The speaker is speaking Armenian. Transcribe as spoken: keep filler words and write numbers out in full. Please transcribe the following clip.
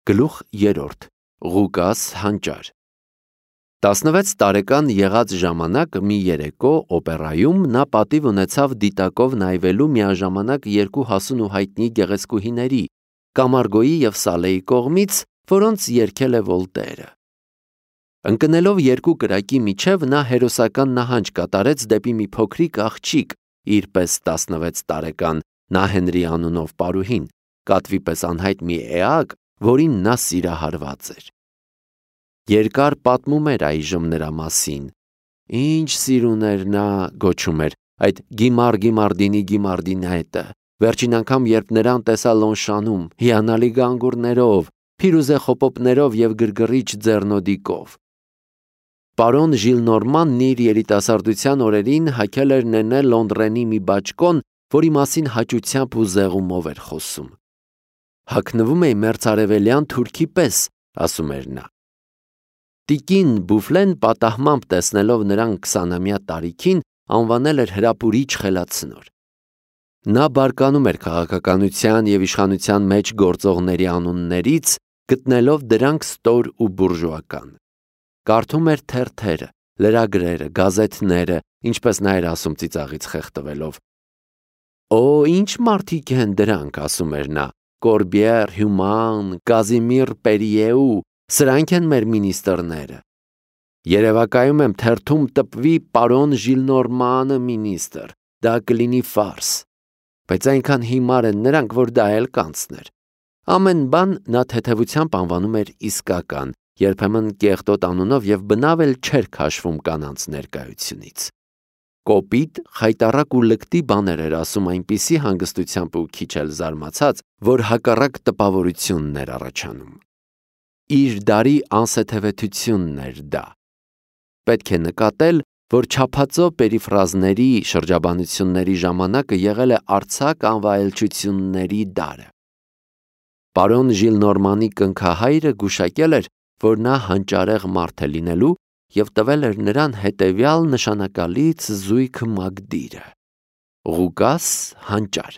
Գլուխ երրորդ. Ղուկաս հանճար։ տասնվեց տարեկան եղած ժամանակ մի երեկո օպերայում նա պատիվ ունեցավ դիտակով նայվելու միաժամանակ երկու հասուն ու հայտնի գեղեցկուհիների՝ Կամարգոյի և Սալեի կողմից, որոնց երգել է Վոլտերը։ Ընկնելով երկու կրակի միջև նա հերոսական նահանջ կատարեց դեպի մի փոքրիկ աղջիկ, իր պես տասնվեց տարեկան Նահենրի անունով պարուհին, կատվի պես անհայտ մի էակ, որին նա սիրահարված էր։ Երկար պատմում էր այժմ նրա մասին։ Ինչ սիրուն էր նա, գոչում էր, այդ Գիմար Գիմարդինի Գիմարդինետը, վերջին անգամ երբ նրան տեսա Լոնշանում, հիանալի գանգուրներով, փիրուզե խոպոպներով և գրգռիչ ձեռնոդիկով։ Պարոն Ժիլնորմանն իր երիտասարդության օրերին հագել էր Նենե Լոնդրենի մի բաճկոն, որի մասին հաճությամբ ու զեղումով էր խոսում։ Հագնվում էի մերձարևելյան թուրքի պես, ասում էր նա։ Տիկին Բուֆլեն պատահմամբ տեսնելով նրան քսանամյա տարիքին, անվանել էր հրապուրիչ խելացնոր։ Նա բարկանում էր քաղաքականության և իշխանության մեջ գործողների անուններից, գտնելով դրանք ստոր ու բուրժուական։ Կարդում էր թերթերը, լրագրերը, գազեթները, ինչպես նա էր ասում ծիծաղից խեղդվելով։ Օ, ինչ մարդիկ են դրանք, ասում էր նա, Կորբիեր, Հյուման, Կազիմիր Պերիեու, սրանք են մեր մինիստրները։ Երևակայում եմ թերթում տպվի պարոն Ժիլնորմանը մինիստր, դա կլինի ֆարս, բայց այնքան հիմար են նրանք, որ դա էլ կանցներ։ Ամեն բան նա թեթևությամբ անվանում էր իսկական, երբեմն կեղտոտ անունով և բնավ էլ չէր քաշվում կանանց ներկայությունից։ Կոպիտ, խայտառակ ու լկտի բաներ էր ասում այնպիսի հանգստությամբ ու քիչ էլ զարմացած, որ հակառակ տպավորությունն էր առաջանում։ Իր դարի անսեթևեթությունն էր դա։ Պետք է նկատել, որ չափածո պերիֆրազների շրջաբանությունների ժամանակը եղել է արձակ անվայելչությունների դարը։ Պարոն Ժիլնորմանի կնքահայրը գուշակել էր, որ նա հանճարեղ մարդ է լինելու և տվել էր նրան հետևյալ նշանակալից զույգ մագդիրը. Ղուկաս հանճար։